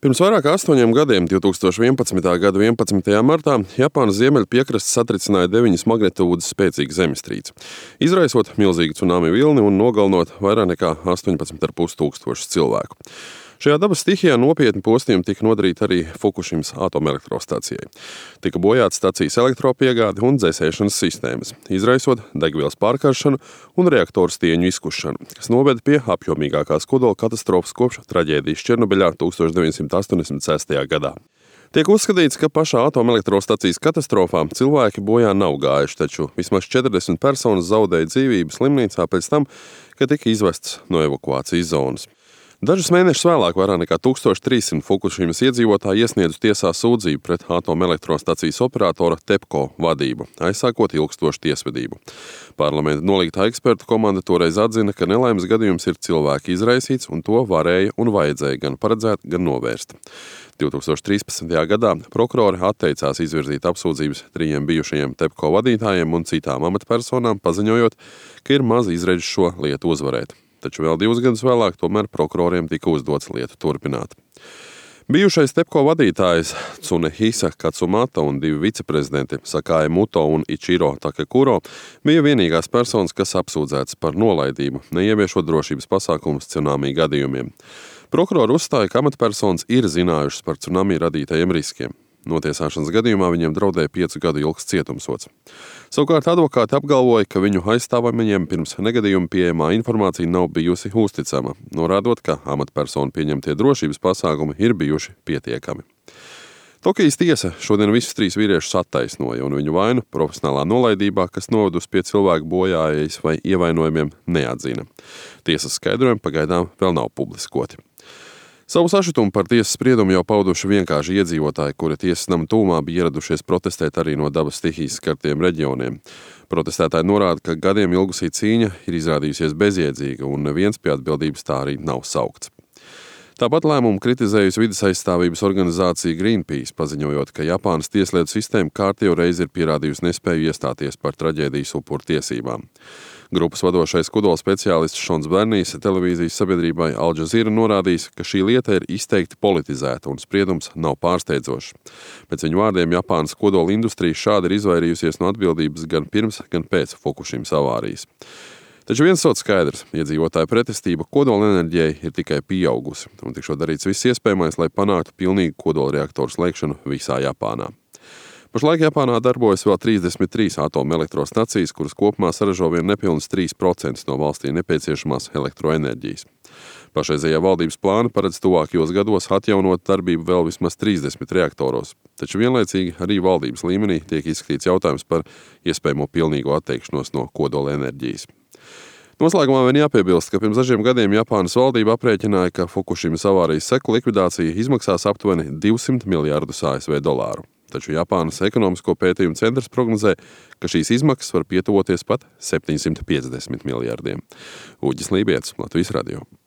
Pirms vairāk kā 8 gadiem, 2011. gada 11. martā, Japānas ziemeļu piekraste satricināja 9 magnitūdas spēcīgu zemestrīci, izraisot milzīgu cunami vilni un nogalinot vairāk nekā 18,5 tūkstošus cilvēku. Šajā dabas stihijā nopietni postījumi tika nodarīti arī Fukušimas atomelektrostacijai. Tika bojāts stacijas elektropiegāde un dzēsēšanas sistēmas, izraisot degvielas pārkaršanu un reaktoru stieņu izkušanu, kas noveda pie apjomīgākās kodola katastrofas kopš traģēdijas Černobiļā 1986. gadā. Tiek uzskatīts, ka pašā atomelektrostacijas katastrofā cilvēki bojā nav gājuši, taču vismaz 40 personas zaudēja dzīvību slimnīcā pēc tam, kad tika izvests no evakuācijas zonas. Dažus mēnešus vēlāk vairāk nekā 1300 Fukušimas iedzīvotāji iesniedza tiesā sūdzību pret atomelektrostacijas operatora TEPCO vadību, aizsākot ilgstošu tiesvedību. Parlamenta nolīgtā ekspertu komanda toreiz atzina, ka nelaimes gadījums ir cilvēka izraisīts un to varēja un vajadzēja gan paredzēt, gan novērst. 2013. gadā prokurori atteicās izvirzīt apsūdzības 3 bijušajiem TEPCO vadītājiem un citām amatpersonām, paziņojot, ka ir maz izredzi šo lietu uzvarēt. Taču vēl 2 gadus vēlāk tomēr prokuroriem tika uzdots lietu turpināt. Bijušais TEPCO vadītājs Tsunehisa Katsumata un 2 viceprezidenti Sakae Muto un Ichiro Takekuro bija vienīgās personas, kas apsūdzētas par nolaidību, neieviešot drošības pasākumus cunami gadījumiem. Prokurori uzstāja, ka amatpersonas ir zinājušas par cunami radītajiem riskiem. Notiesāšanas gadījumā viņiem draudēja 5 gadu ilgs cietumsods. Savukārt advokāti apgalvoja, ka viņu aizstāvamajiem pirms negadījuma pieejamā informācija nav bijusi uzticama, norādot, ka amatpersonu pieņemtie drošības pasākumi ir bijuši pietiekami. Tokijas tiesa šodien visus 3 vīriešus attaisnoja un viņu vainu profesionālā nolaidībā, kas novedusi pie cilvēku bojājas vai ievainojumiem, neatzina. Tiesas skaidrojumi pagaidām vēl nav publiskoti. Savu sašutumu par tiesas spriedumu jau pauduši vienkārši iedzīvotāji, kuri tiesas nama tūmā bija ieradušies protestēt arī no dabas stihijas skartiem reģioniem. Protestētāji norāda, ka gadiem ilgusī cīņa ir izrādījusies bezjēdzīga un neviens pie atbildības tā arī nav saukts. Tāpat lēmumu kritizējusi vides aizstāvības organizācija Greenpeace, paziņojot, ka Japānas tieslietu sistēma kārtējo reizi ir pierādījusi nespēju iestāties par traģēdijas upuru tiesībām. Grupas vadošais kodola speciālists Šons Bernijs televīzijas sabiedrībai Al Jazeera norādījis, ka šī lieta ir izteikti politizēta un spriedums nav pārsteidzošs. Pēc viņu vārdiem Japānas kodola industrija šādi ir izvairījusies no atbildības gan pirms, gan pēc Fukušimas avārijas. Taču viens sots skaidrs, iedzīvotāju pretestība kodola enerģijai ir tikai pieaugusi un tikšot darīts viss iespējamais, lai panāktu pilnīgu kodola reaktoru slēgšanu visā Japānā. Pašlaik Japānā darbojas vēl 33 atomelektrostacijas, kuras kopumā saražo vien nepilnus 3% no valstī nepieciešamās elektroenerģijas. Pašreizējā valdības plāna paredz tuvākajos gados atjaunot darbību vēl vismaz 30 reaktoros, taču vienlaicīgi arī valdības līmenī tiek izskatīts jautājums par iespējamo pilnīgo atteikšanos no kodola enerģijas. Noslēgumā vien jāpiebilst, ka pirms dažiem gadiem Japānas valdība aprēķināja, ka Fukušimas avārijas seku likvidācija izmaksās aptuveni 200 miljārdus ASV dolāru. Taču Japānas ekonomisko pētījumu centrs prognozē, ka šīs izmaksas var pietuvoties pat 750 miljārdiem. Uģis Lībietis, Latvijas radio.